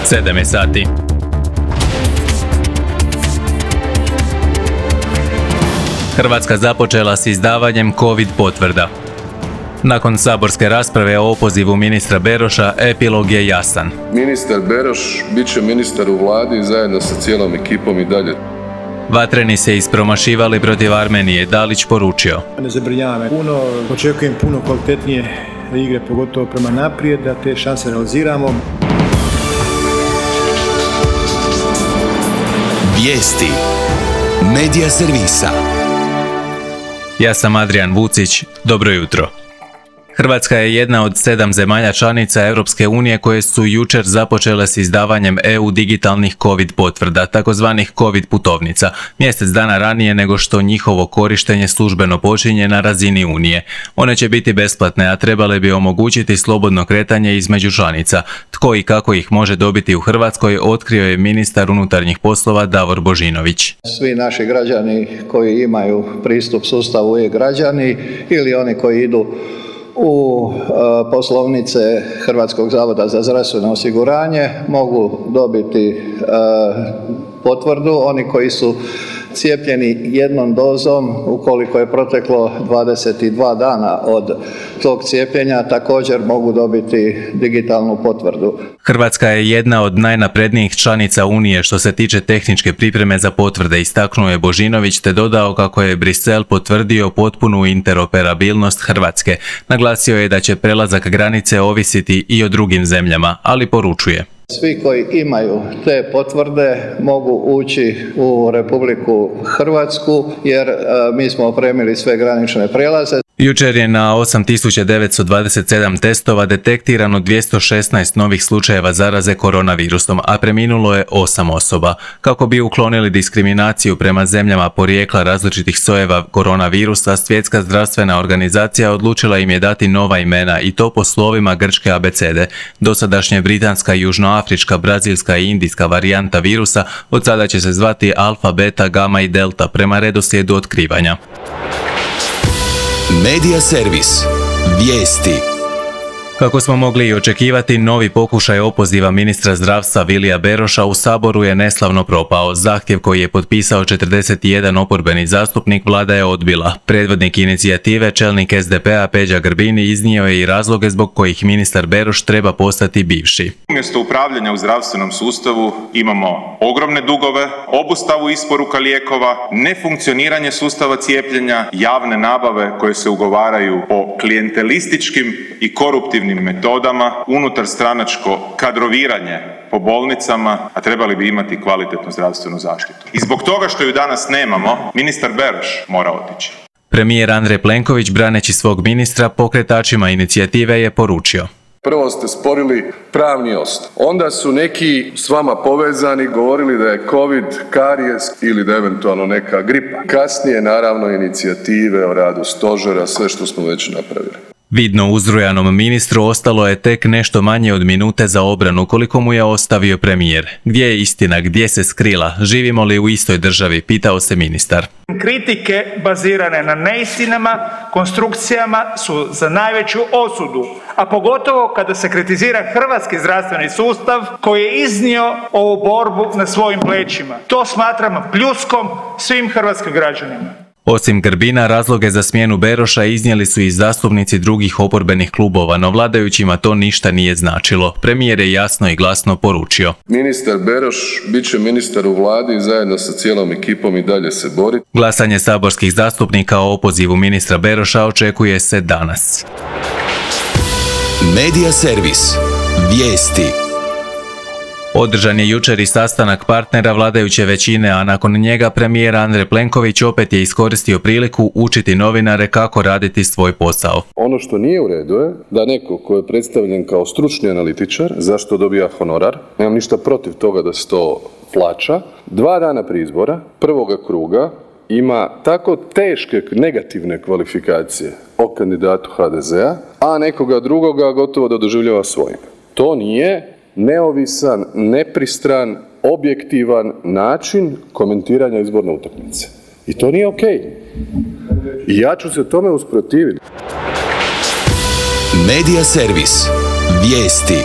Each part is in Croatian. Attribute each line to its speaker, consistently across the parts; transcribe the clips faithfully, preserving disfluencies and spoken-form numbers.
Speaker 1: sedam je sati. Hrvatska započela s izdavanjem COVID potvrda. Nakon saborske rasprave o opozivu ministra Beroša, epilog je jasan.
Speaker 2: Ministar Beroš bit će ministar u vladi zajedno sa cijelom ekipom i dalje.
Speaker 1: Vatreni se ispromašivali protiv Armenije, Dalić poručio.
Speaker 3: Ne zabrinjava me puno, očekujem puno kvalitetnije igre, pogotovo prema naprijed, da te šanse realiziramo.
Speaker 4: Vijesti Medija servisa.
Speaker 1: Ja sam Adrian Vucić, dobro jutro. Hrvatska je jedna od sedam zemalja članica Europske unije koje su jučer započele s izdavanjem E U digitalnih COVID potvrda, takozvanih COVID putovnica, mjesec dana ranije nego što njihovo korištenje službeno počinje na razini Unije. One će biti besplatne, a trebale bi omogućiti slobodno kretanje između članica. Tko i kako ih može dobiti u Hrvatskoj otkrio je ministar unutarnjih poslova Davor Božinović.
Speaker 5: Svi naši građani koji imaju pristup sustavu e-građani ili oni koji idu u e, poslovnice Hrvatskog zavoda za zdravstveno osiguranje mogu dobiti e, potvrdu. Oni koji su cijepljeni jednom dozom, ukoliko je proteklo dvadeset dva dana od tog cijepljenja, također mogu dobiti digitalnu potvrdu.
Speaker 1: Hrvatska je jedna od najnaprednijih članica Unije što se tiče tehničke pripreme za potvrde, istaknuo je Božinović te dodao kako je Brisel potvrdio potpunu interoperabilnost Hrvatske. Naglasio je da će prelazak granice ovisiti i o drugim zemljama, ali poručuje.
Speaker 5: Svi koji imaju te potvrde mogu ući u Republiku Hrvatsku jer e, mi smo opremili sve granične prijelaze.
Speaker 1: Jučer je na osam tisuća devetsto dvadeset sedam testova detektirano dvjesto šesnaest novih slučajeva zaraze koronavirusom, a preminulo je osam osoba. Kako bi uklonili diskriminaciju prema zemljama porijekla različitih sojeva koronavirusa, Svjetska zdravstvena organizacija odlučila im je dati nova imena i to po slovima grčke abecede. Dosadašnje britanska, južnoafrička, brazilska i indijska varijanta virusa od sada će se zvati alfa, beta, gama i delta prema redoslijedu otkrivanja.
Speaker 4: Medija servis. Vijesti.
Speaker 1: Kako smo mogli i očekivati, novi pokušaj opoziva ministra zdravstva Vilija Beroša u Saboru je neslavno propao. Zahtjev koji je potpisao četrdeset jedan oporbeni zastupnik vlada je odbila. Predvodnik inicijative, čelnik S D P-a Peđa Grbin iznio je i razloge zbog kojih ministar Beroš treba postati bivši.
Speaker 6: Umjesto upravljanja u zdravstvenom sustavu imamo ogromne dugove, obustavu isporuka lijekova, nefunkcioniranje sustava cijepljenja, javne nabave koje se ugovaraju po klijentelističkim i koruptivnim metodama, unutar stranačko kadroviranje po bolnicama, a trebali bi imati kvalitetnu zdravstvenu zaštitu. I zbog toga što ju danas nemamo, ministar Beroš mora otići.
Speaker 1: Premijer Andrej Plenković, braneći svog ministra, pokretačima inicijative je poručio.
Speaker 2: Prvo ste sporili pravni osnov. Onda su neki s vama povezani govorili da je COVID karijes ili da je eventualno neka gripa. Kasnije, naravno, inicijative o radu stožera, sve što smo već napravili.
Speaker 1: Vidno uzrujanom ministru ostalo je tek nešto manje od minute za obranu koliko mu je ostavio premijer. Gdje je istina, gdje se skrila? Živimo li u istoj državi? Pitao se ministar.
Speaker 7: Kritike bazirane na neistinama, konstrukcijama su za najveću osudu, a pogotovo kada se kritizira hrvatski zdravstveni sustav koji je iznio ovu borbu na svojim plećima. To smatram pljuskom svim hrvatskim građanima.
Speaker 1: Osim Grbina, razloge za smjenu Beroša iznijeli su i zastupnici drugih oporbenih klubova, no vladajućima to ništa nije značilo. Premijer je jasno i glasno poručio.
Speaker 2: Ministar Beroš bit će ministar u vladi i zajedno sa cijelom ekipom i dalje se boriti.
Speaker 1: Glasanje saborskih zastupnika o opozivu ministra Beroša očekuje se danas.
Speaker 4: Medija servis. Vijesti.
Speaker 1: Održan je jučer i sastanak partnera vladajuće većine, a nakon njega premijer Andrej Plenković opet je iskoristio priliku učiti novinare kako raditi svoj posao.
Speaker 2: Ono što nije u redu je da neko ko je predstavljen kao stručni analitičar, zašto dobija honorar, nemam ništa protiv toga da se to plaća, dva dana prije izbora, prvoga kruga, ima tako teške negativne kvalifikacije o kandidatu ha de zea, a nekoga drugoga gotovo da doživljava svojim. To nije neovisan, nepristran, objektivan način komentiranja izborne utakmice. I to nije okej. I ja ću se tome usprotiviti.
Speaker 4: Medija servis. Vijesti.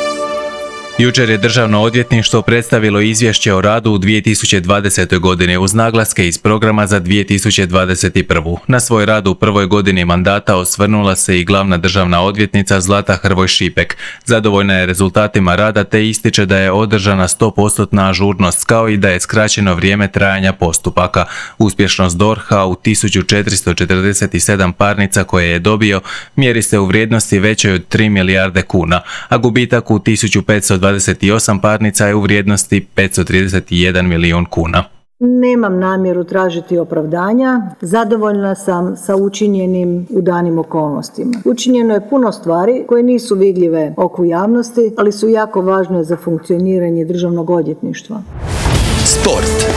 Speaker 1: Jučer je Državno odvjetništvo predstavilo izvješće o radu u dvije tisuće dvadesetoj. godini uz naglaske iz programa za dvije tisuće dvadeset prvu. Na svoj rad u prvoj godini mandata osvrnula se i glavna državna odvjetnica Zlata Hrvoj Šipek. Zadovoljna je rezultatima rada te ističe da je održana sto posto ažurnost kao i da je skraćeno vrijeme trajanja postupaka. Uspješnost D O R H-a u tisuću četiristo četrdeset sedam parnica koje je dobio mjeri se u vrijednosti većoj od tri milijarde kuna, a gubitak u tisuću petsto dvadeset osam parnica je u vrijednosti petsto trideset jedan milijun kuna.
Speaker 8: Nemam namjeru tražiti opravdanja, zadovoljna sam sa učinjenim u danim okolnostima. Učinjeno je puno stvari koje nisu vidljive oku javnosti, ali su jako važne za funkcioniranje državnog odvjetništva.
Speaker 4: Sport.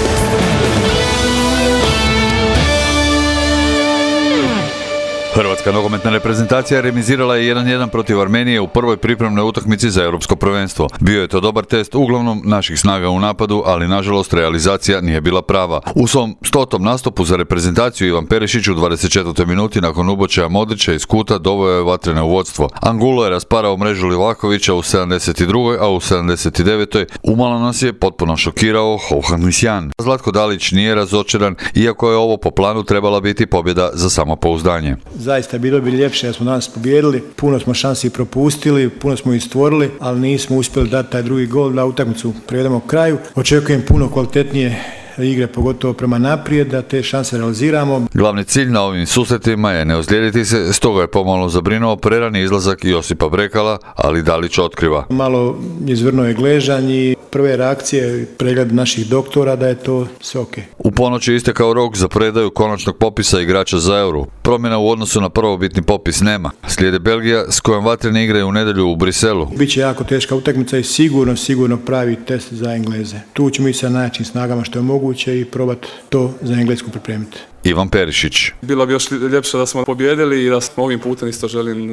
Speaker 9: Hrvatska nogometna reprezentacija remizirala je jedan jedan protiv Armenije u prvoj pripremnoj utakmici za europsko prvenstvo. Bio je to dobar test uglavnom naših snaga u napadu, ali nažalost realizacija nije bila prava. U svom stotom nastupu za reprezentaciju Ivan Perišić u dvadeset četvrtoj minuti nakon ubočaja Modrića iz kuta doveo je vatrene u vodstvo. Angulo je rasparao mrežu Livakovića u sedamdeset drugoj a u sedamdeset devetoj umalo nas je potpuno šokirao Hovhannisjan. Zlatko Dalić nije razočaran, iako je ovo po planu trebala biti pobjeda za samopouzdanje.
Speaker 3: Zaista bilo bi ljepše da smo danas pobijedili, puno smo šansi propustili, puno smo ih stvorili, ali nismo uspjeli dati taj drugi gol da utakmicu privedemo kraju. Očekujem puno kvalitetnije igre, pogotovo prema naprijed, da te šanse realiziramo.
Speaker 9: Glavni cilj na ovim susretima je ne ozlijediti se, stoga je pomalo zabrinuo prerani izlazak Josipa Brekala, ali Dalić otkriva.
Speaker 3: Malo izvrnuo je gležanj i prve reakcije, pregled naših doktora da je to sve ok.
Speaker 9: U ponoć je istekao rok za predaju konačnog popisa igrača za Euro. Promjena u odnosu na prvobitni popis nema. Slijede Belgija s kojom vatreni igraju u nedjelju u Briselu.
Speaker 3: Biće jako teška utakmica i sigurno, sigurno pravi test za Engleze. Tu ćemo ići sa najjačim snagama što je moguće i probati to za Englesku pripremiti.
Speaker 9: Ivan Perišić.
Speaker 10: Bilo bi još ljepše da smo pobjedili i da smo ovim putem isto želim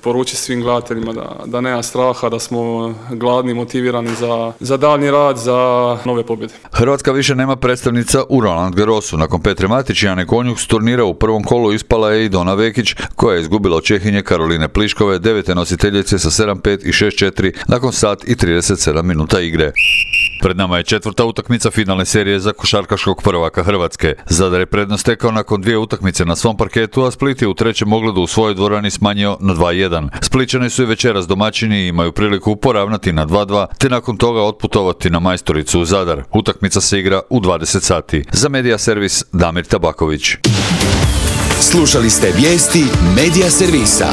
Speaker 10: poručiti svim gledateljima da, da nema straha, da smo gladni, motivirani za, za daljnji rad, za nove pobjede.
Speaker 9: Hrvatska više nema predstavnica u Roland Garrosu. Nakon Petre Matić i Ane Konjuh s turnira u prvom kolu ispala je i Dona Vekić, koja je izgubila od Čehinje Karoline Pliškove, devete nositeljice sa sedam pet i šest četiri nakon sat i trideset sedam minuta igre. Pred nama je četvrta utakmica finalne serije za košarkaškog prvaka Hrvatske. Zadar je prednost stekao nakon dvije utakmice na svom parketu, a Split je u trećem ogledu u svojoj dvorani smanjio na dva jedan. Splićani su i večeras domaćini i imaju priliku poravnati na dva dva, te nakon toga otputovati na Majstoricu u Zadar. Utakmica se igra u dvadeset sati. Za Medija servis Damir Tabaković.
Speaker 4: Slušali ste vijesti Medija servisa.